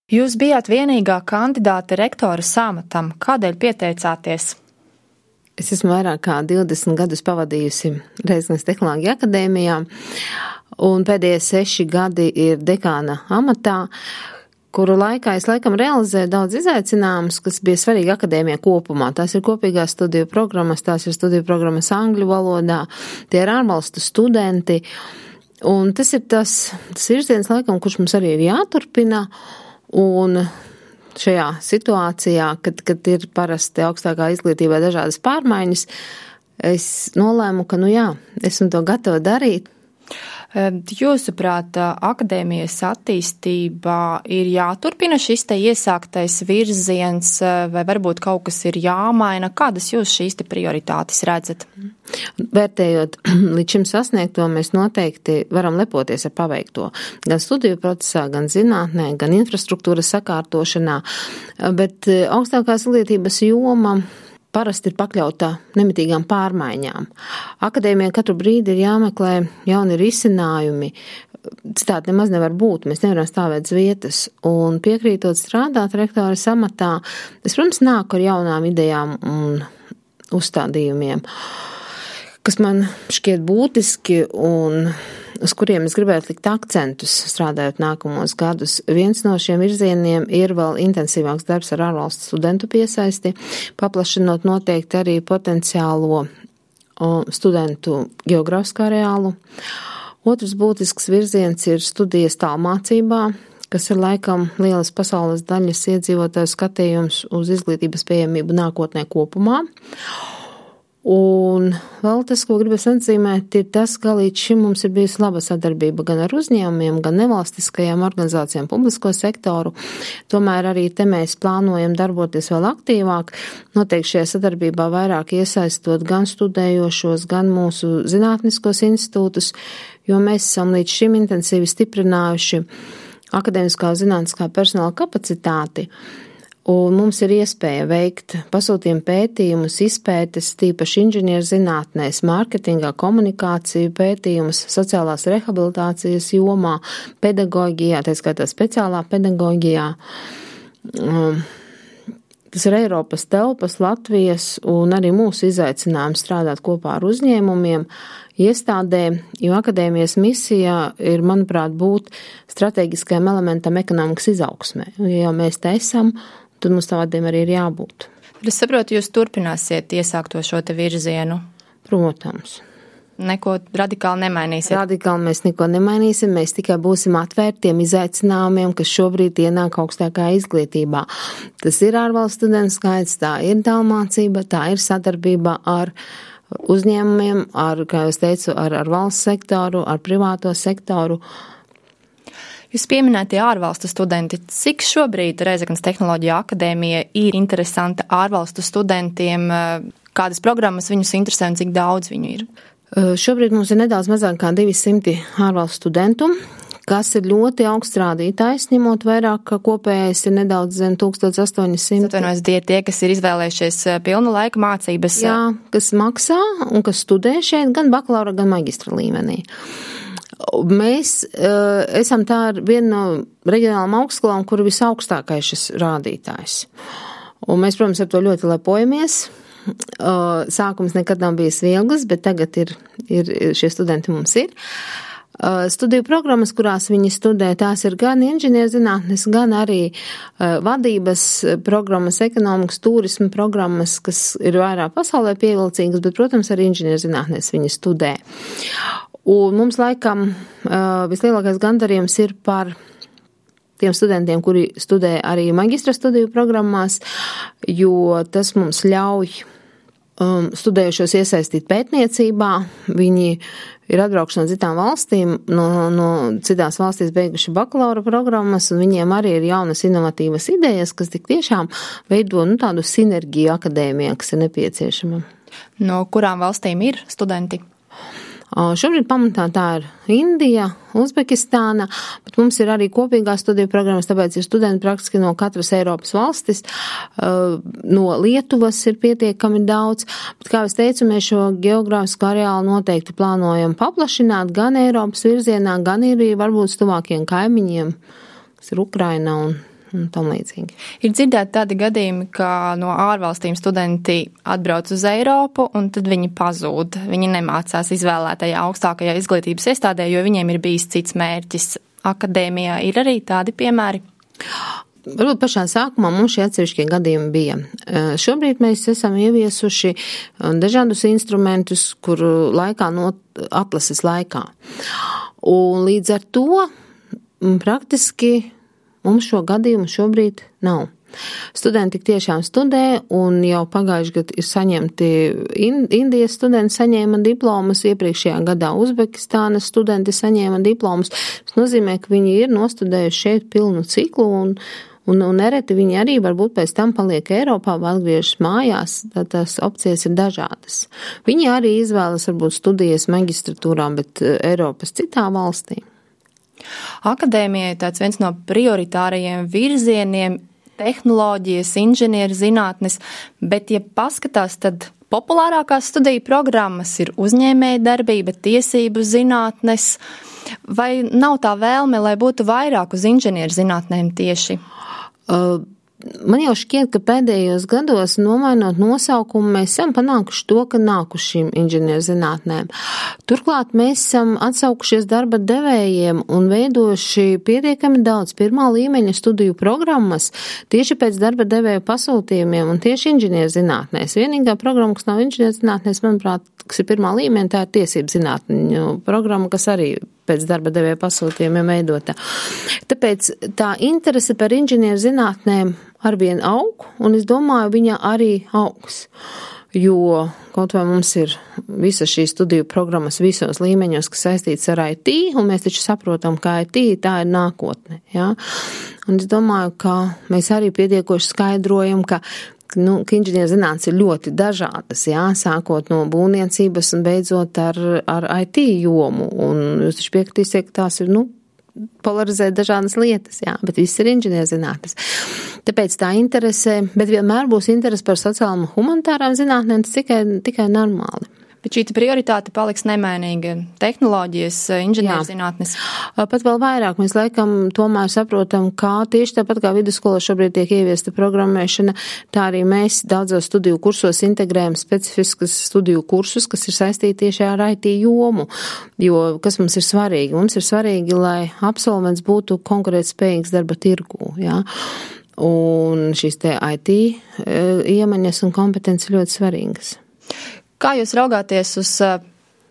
Jūs bijāt vienīgā kandidāte rektora amatam. Kādēļ pieteicāties? Es esmu vairāk kā 20 gadus pavadījusi Rēzeknes Tehnoloģiju akadēmijā, un pēdējie 6 gadi ir dekāna amatā, kuru laikā es laikam realizēju daudz izaicinājumus, kas bija svarīgi akadēmijai kopumā. Tās ir kopīgās studiju programmas, tās ir studiju programmas angļu valodā, tie ir ārvalstu studenti, un tas ir tas virziens laikam, kurš mums arī ir jāturpina. Un šajā situācijā, kad ir parasti augstākā izglītībā dažādas pārmaiņas, es nolēmu, ka esmu to gatava darīt. Jūsuprāt, akadēmijas attīstībā ir jāturpina šis te iesāktais virziens, vai varbūt kaut kas ir jāmaina? Kādas jūs šīs te prioritātes redzat? Vērtējot līdz šim sasniegto, mēs noteikti varam lepoties ar paveikto. Gan studiju procesā, gan zinātnē, gan infrastruktūras sakārtošanā, bet augstākās izglītības joma parasti ir pakļauta nemitīgām pārmaiņām. Akadēmijai katru brīdi ir jāmeklē jauni risinājumi. Citādi nemaz nevar būt, mēs nevaram stāvēt uz vietas. Un piekrītot strādāt rektora amatā, es, protams, nāku ar jaunām idejām un uzstādījumiem, kas man šķiet būtiski un uz kuriem es gribētu likt akcentus strādājot nākamos gadus. Viens no šiem virzieniem ir vēl intensīvāks darbs ar ārvalstu studentu piesaisti, paplašinot noteikti arī potenciālo studentu geogrāfiskā areālu. Otrs būtisks virziens ir studijas tālmācībā, kas ir laikam lielas pasaules daļas iedzīvotāju skatījums uz izglītības pieejamību nākotnē kopumā. Un vēl tas, ko gribas atzīmēt, ir tas, ka līdz šim mums ir bijusi laba sadarbība gan ar uzņēmumiem, gan nevalstiskajām organizācijām, publisko sektoru. Tomēr arī te mēs plānojam darboties vēl aktīvāk, noteikti šajā sadarbībā vairāk iesaistot gan studējošos, gan mūsu zinātniskos institūtus, jo mēs esam līdz šim intensīvi stiprinājuši akadēmiskā un zinātniskā personāla kapacitāti. Un mums ir iespēja veikt pasūtījumu pētījumus, izpētes, tīpaši inženierzinātnēs, mārketingā, komunikāciju pētījumus, sociālās rehabilitācijas jomā, pedagoģijā, tā skaitā speciālā pedagoģijā. Tas ir Eiropas telpas, Latvijas un arī mūsu izaicinājums strādāt kopā ar uzņēmumiem, iestādēm, jo akadēmijas misija ir, manuprāt, būt strateģiskajam elementam ekonomikas izaugsmē. Ja mēs te esam, tad mums tādiem arī ir jābūt. Es saprotu, jūs turpināsiet iesākto šo te virzienu? Protams. Neko radikāli nemainīsiet? Radikāli mēs neko nemainīsim, mēs tikai būsim atvērti tiem izaicinājumiem, kas šobrīd ienāk augstākā izglītībā. Tas ir ārvalstu studentu skaits, tā ir tālmācība, tā ir sadarbība ar uzņēmumiem, kā jūs teicu, ar valsts sektoru, ar privāto sektoru. Jūs pieminētie ārvalstu studenti. Cik šobrīd Rēzeknes Tehnoloģiju akadēmija ir interesanta ārvalstu studentiem? Kādas programmas viņus interesē un cik daudz viņu ir? Šobrīd mums ir nedaudz mazāk kā 200 ārvalstu studentu, kas ir ļoti augsts rādītājs, ņemot vairāk, ka kopējais ir nedaudz zem 1800. Atvainojos, tie, kas ir izvēlējušies pilnu laika mācības. Jā, kas maksā un kas studē šeit gan bakalaura, gan maģistra līmenī. Mēs esam tā viena no reģionālām augstskolām, kur ir visaugstākais šis rādītājs. Un mēs, protams, ar to ļoti lepojamies. Sākums nekad nav bijis viegls, bet tagad ir šie studenti mums ir. Studiju programmas, kurās viņi studē, tās ir gan inženierzinātnes, gan arī vadības programmas, ekonomikas, turisma programmas, kas ir vairāk pasaulē pievilcīgas, bet, protams, arī inženierzinātnes viņi studē. Un mums laikam vislielākais gandarījums ir par tiem studentiem, kuri studē arī maģistra studiju programmās, jo tas mums ļauj studējušos iesaistīt pētniecībā. Viņi ir atbraukuši no citām valstīm, no citās valstīs beiguši bakalaura programmas, un viņiem arī ir jaunas inovatīvas idejas, kas tik tiešām veido tādu sinerģiju akadēmijā, kas ir nepieciešama. No kurām valstīm ir studenti? Šobrīd pamatā tā ir Indija, Uzbekistāna, bet mums ir arī kopīgās studiju programmas, tāpēc ir studenti praktiski no katras Eiropas valstis, no Lietuvas ir pietiekami daudz, bet, kā es teicu, mēs šo geogrāfisko areālu noteikti plānojam paplašināt gan Eiropas virzienā, gan arī varbūt tuvākiem kaimiņiem, kas ir Ukraina un tam līdzīgi. Ir dzirdēti tādi gadījumi, ka no ārvalstīm studenti atbrauc uz Eiropu un tad viņi pazūd. Viņi nemācās izvēlētajā augstākajā izglītības iestādē, jo viņiem ir bijis cits mērķis. Akadēmijā ir arī tādi piemēri? Varbūt pašā sākumā mums šie atsevišķie gadījumi bija. Šobrīd mēs esam ieviesuši dažādus instrumentus, kuru laikā atlases laikā. Un līdz ar to praktiski mums šo gadījumu šobrīd nav. Studenti tiešām studē, un jau pagājuši gadu ir saņemti Indijas studenti saņēma diplomas, iepriekšējā gadā Uzbekistānas studenti saņēma diplomas. Tas nozīmē, ka viņi ir nostudējuši šeit pilnu ciklu, un nereti viņi arī varbūt pēc tam paliek Eiropā vai atgriežas mājās, tad tās opcijas ir dažādas. Viņi arī izvēlas varbūt studijas magistratūrā, bet Eiropas citā valstī. Akadēmija ir tāds viens no prioritārajiem virzieniem, tehnoloģijas, inženieru zinātnes, bet, ja paskatās, tad populārākās studiju programmas ir uzņēmēja darbība, tiesību zinātnes, vai nav tā vēlme, lai būtu vairāk uz inženieru zinātnēm tieši? Man jau šķiet, ka pēdējos gados, nomainot nosaukumu, mēs esam panākuši to, ka nākušīm inženierzinātnēm. Turklāt mēs esam atsaukušies darba devējiem un veidojuši pietiekami daudz pirmā līmeņa studiju programmas tieši pēc darba devēju pasūtījumiem un tieši inženierzinātnēs. Vienīgā programma, kas nav inženierzinātnēs, manuprāt, kas ir pirmā līmeņa, tā ir tiesību zinātņu programma, kas arī pēc darba devēja pasūtījumiem veidota. Tāpēc tā interese par inženieru zinātnēm arvien aug, un es domāju, viņa arī augs. Jo kaut vai mums ir visas šīs studiju programmas visos līmeņos, kas saistīts ar IT, un mēs taču saprotam, ka IT tā ir nākotne. Ja? Un es domāju, ka mēs arī pietiekoši skaidrojam, ka inženieru zinātnes ir ļoti dažādas, jā, sākot no būvniecības un beidzot ar IT jomu. Un jūs taču piekritīsiet, ka tās ir, polarizēt dažādas lietas, jā, bet viss ir inženieru zinātnes. Tāpēc tā interese, bet vienmēr būs interese par sociālām un humanitārām zinātnēm, tas tikai normāli. Bet šī prioritāte paliks nemainīga - tehnoloģijas, inženierzinātnes. Pat vēl vairāk mēs laikam tomēr saprotam, kā tieši tāpat kā vidusskolā šobrīd tiek ieviesta programmēšana, tā arī mēs daudzos studiju kursos integrējam specifiskas studiju kursus, kas ir saistīti tieši ar IT jomu. Jo kas mums ir svarīgi? Mums ir svarīgi, lai absolvents būtu konkurētspējīgs darba tirgū, jā. Un šīs te IT iemaņas un kompetences ļoti svarīgas. Kā jūs raugāties uz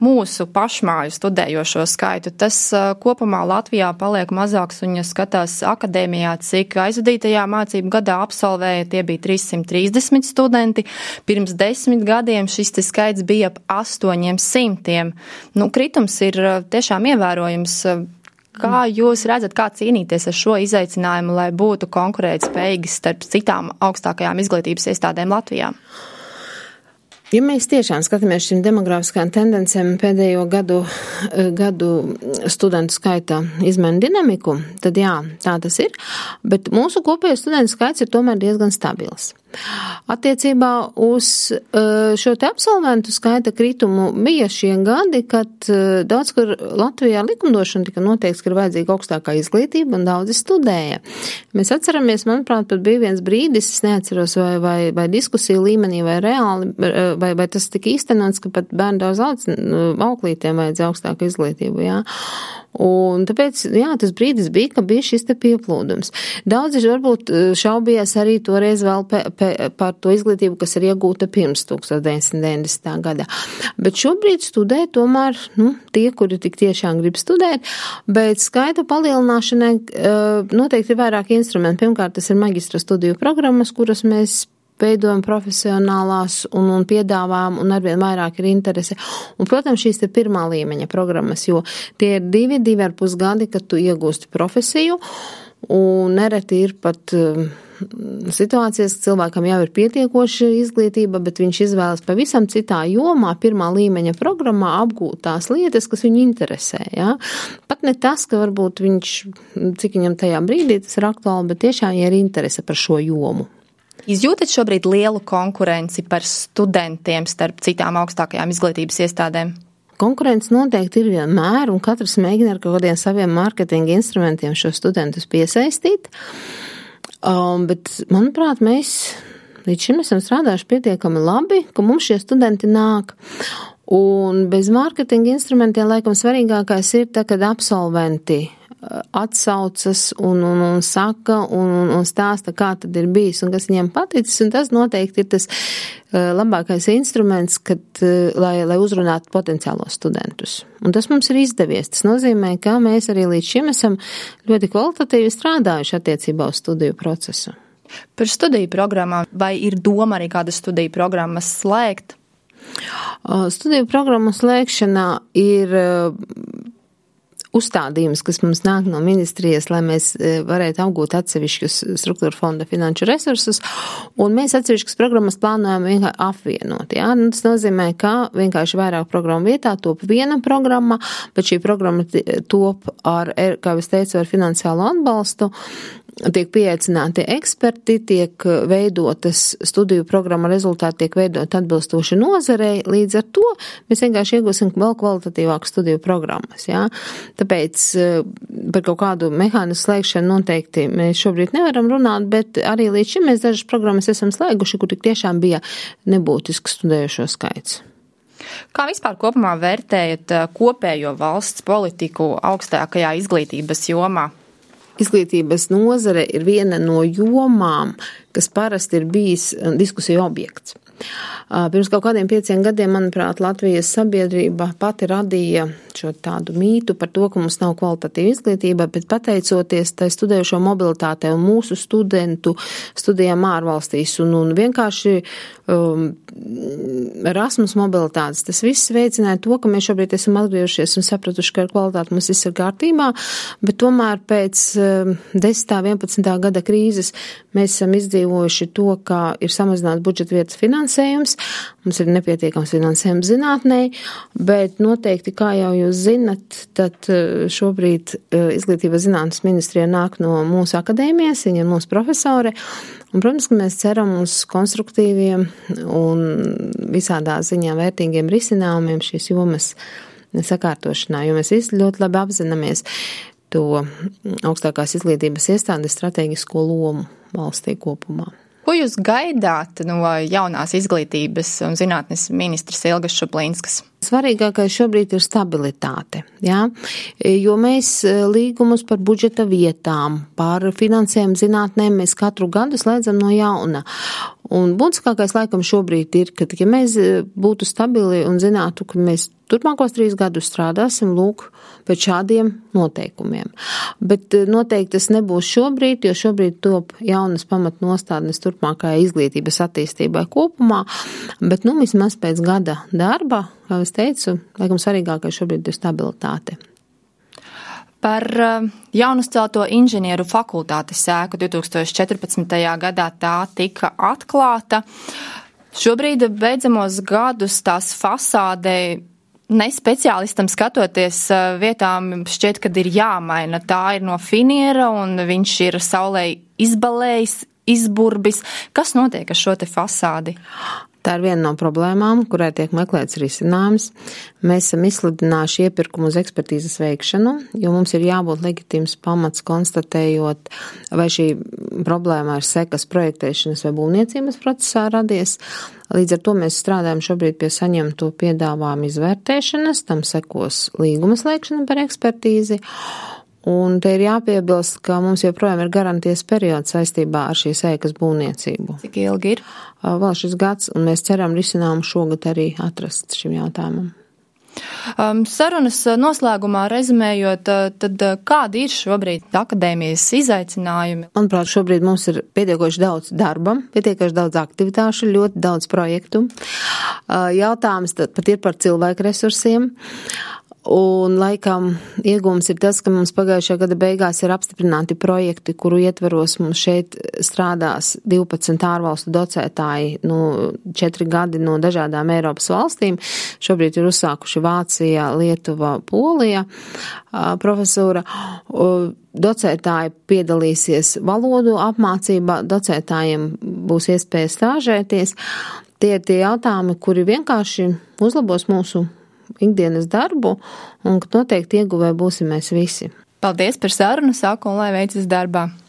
mūsu pašmāju studējošo skaitu? Tas kopumā Latvijā paliek mazāks, un ja skatās akadēmijā, cik aizvadītajā mācību gadā absolvēja, tie bija 330 studenti. Pirms 10 gadiem šis skaits bija ap 800. Kritums ir tiešām ievērojams. Kā jūs redzat, kā cīnīties ar šo izaicinājumu, lai būtu konkurētspējīgi starp citām augstākajām izglītības iestādēm Latvijā? Ja mēs tiešām skatāmies šīm demografiskām tendencēm pēdējo gadu studentu skaita izmaiņu dinamiku, tad jā, tā tas ir, bet mūsu kopējais studentu skaits ir tomēr diezgan stabils. Attiecībā uz šo te absolventu skaita kritumu bija šie gadi, kad daudz, kur Latvijā likumdošana tika noteikts, ka ir vajadzīga augstākā izglītība un daudzi studēja. Mēs atceramies, manuprāt, pat bija viens brīdis, es neatceros vai diskusiju līmenī vai reāli, vai tas tika īstenots, ka pat bērnu daudz auklītiem vajadzēja augstāku izglītību, jā. Un tāpēc, jā, tas brīdis bija, ka bija šis te pieplūdums. Daudzi varbūt šaubījās arī toreiz vēl par to izglītību, kas ir iegūta pirms 1990. gadā. Bet šobrīd studē tomēr, tie, kuri tik tiešām grib studēt, bet skaita palielināšanai noteikti ir vairāk instrumenti. Pirmkārt, tas ir magistra studiju programmas, kuras mēs veidojam profesionālās un piedāvājam, un arvien vairāk ir interese. Un, protams, šīs te pirmā līmeņa programmas, jo tie ir 2,5 gadi, kad tu iegūsti profesiju, un nereti ir pat situācijas, ka cilvēkam jau ir pietiekoša izglītība, bet viņš izvēlas pavisam citā jomā, pirmā līmeņa programmā apgūt tās lietas, kas viņu interesē. Ja? Pat ne tas, ka varbūt viņš, cik viņam tajā brīdī tas ir aktuāli, bet tiešām ir interese par šo jomu. Izjūtat šobrīd lielu konkurenci par studentiem starp citām augstākajām izglītības iestādēm? Konkurence noteikti ir vienmēr, un katrs mēģina ar kaut kādiem saviem mārketinga instrumentiem šo studentus piesaistīt. Bet, manuprāt, mēs līdz šim esam strādājuši pietiekami labi, ka mums šie studenti nāk. Un bez mārketinga instrumentiem, laikam, svarīgākais ir tā, kad absolventi atsaucas un saka un stāsta, kā tad ir bijis un kas viņiem paticis, un tas noteikti ir tas labākais instruments, lai uzrunātu potenciālos studentus. Un tas mums ir izdevies. Tas nozīmē, ka mēs arī līdz šim esam ļoti kvalitatīvi strādājuši attiecībā uz studiju procesu. Par studiju programmām, vai ir doma arī kādas studiju programmas slēgt? Studiju programmu slēgšanā ir uzstādījums, kas mums nāk no ministrijas, lai mēs varētu apgūt atsevišķus struktūra fonda finanšu resursus, un mēs atsevišķas programmas plānojam vienkārši apvienot. Ja? Tas nozīmē, ka vienkārši vairāk programmu vietā top viena programma, bet šī programma top ar, kā es teicu, ar finansiālo atbalstu. Tiek pieaicināti eksperti, tiek veidotas studiju programma rezultāti, tiek veidot atbilstoši nozarei, līdz ar to mēs vienkārši iegūsim vēl kvalitatīvāku studiju programmas. Ja? Tāpēc par kaut kādu mehānismu slēgšanu noteikti mēs šobrīd nevaram runāt, bet arī līdz šim mēs dažas programmas esam slēguši, kur tik tiešām bija nebūtisks studējušo skaits. Kā vispār kopumā vērtējat kopējo valsts politiku augstākajā izglītības jomā? Izglītības nozare ir viena no jomām, kas parasti ir bijis diskusiju objekts. Pirms kaut kādiem 5 gadiem, manuprāt, Latvijas sabiedrība pati radīja šo tādu mītu par to, ka mums nav kvalitatīva izglītība, bet pateicoties tai studējušo mobilitātei un mūsu studentu studijām ārvalstīs un vienkārši Erasmus mobilitātes, tas viss veicināja to, ka mēs šobrīd esam atgriežušies un sapratuši, ka ar kvalitāti mums viss ir kārtībā, bet tomēr pēc 10. 11. gada krīzes mēs esam izdzīvojuši to, ka ir samazināts budžeta vietas finansējums, mums ir nepietiekams finansējums zinātnē, bet noteikti, kā jau jūs zinat, tad šobrīd Izglītības zinātnes ministrija nāk no mūsu akadēmijas, viņa ir mūsu profesore, un, protams, ka mēs ceram uz konstruktīviem un visādā ziņā vērtīgiem risinājumiem šīs jomas sakārtošanā, jo mēs visi ļoti labi apzināmies to augstākās izglītības iestādes strateģisko lomu valstī kopumā. Ko jūs gaidāt no jaunās izglītības un zinātnes ministras Ilgas Šuplīnskas? Svarīgākais šobrīd ir stabilitāte, ja? Jo mēs līgumus par budžeta vietām, par finansējumu zinātnēm mēs katru gadu slēdzam no jauna. Un būtiskākais laikam šobrīd ir, ka ja mēs būtu stabili un zinātu, ka mēs turpmākos 3 gadus strādāsim, lūk, pēc šādiem noteikumiem. Bet noteikti tas nebūs šobrīd, jo šobrīd top jaunas pamatnostādnes turpmākajai izglītības attīstībai kopumā, bet vismaz pēc gada darba, kā es teicu, laikam svarīgākais šobrīd ir stabilitāte. Par jaunuzcelto inženieru fakultātes ēku 2014. gadā tā tika atklāta. Šobrīd beidzamos gadus tās fasādē ne speciālistam skatoties vietām šķiet, kad ir jāmaina. Tā ir no finiera un viņš ir saulē izbalējis, izburbis. Kas notiek ar šo te fasādi? Tā ir viena no problēmām, kurai tiek meklēts risinājums. Mēs esam izsludinājuši iepirkumu uz ekspertīzes veikšanu, jo mums ir jābūt legitīms pamats konstatējot, vai šī problēma ir sekas projektēšanas vai būvniecības procesā radies. Līdz ar to mēs strādājam šobrīd pie saņemto piedāvājumu izvērtēšanas, tam sekos līguma slēgšana par ekspertīzi. Un te ir jāpiebilst, ka mums joprojām ir garantijas periods saistībā ar šīs ēkas būvniecību. Cik ilgi ir? Vēl šis gads, un mēs ceram risinājumu šogad arī atrast šim jautājumam. Sarunas noslēgumā rezumējot, tad kādi ir šobrīd akadēmijas izaicinājumi? Manuprāt, šobrīd mums ir pietiekoši daudz darba, pietiekoši daudz aktivitāšu, ļoti daudz projektu. Jautājums tad pat ir par cilvēku resursiem. Un laikam iegūms ir tas, ka mums pagājušajā gada beigās ir apstiprināti projekti, kuru ietveros mums šeit strādās 12 ārvalstu docētāji, 4 gadi no dažādām Eiropas valstīm. Šobrīd ir uzsākuši Vācija, Lietuva, Polija profesūra. Docētāji piedalīsies valodu apmācībā, docētājiem būs iespēja stāžēties. Tie ir tie jautājumi, kuri vienkārši uzlabos mūsu ikdienas darbu, un noteikti ieguvēji būsim mēs visi. Paldies par sarunu, saku, un lai veicas darbā.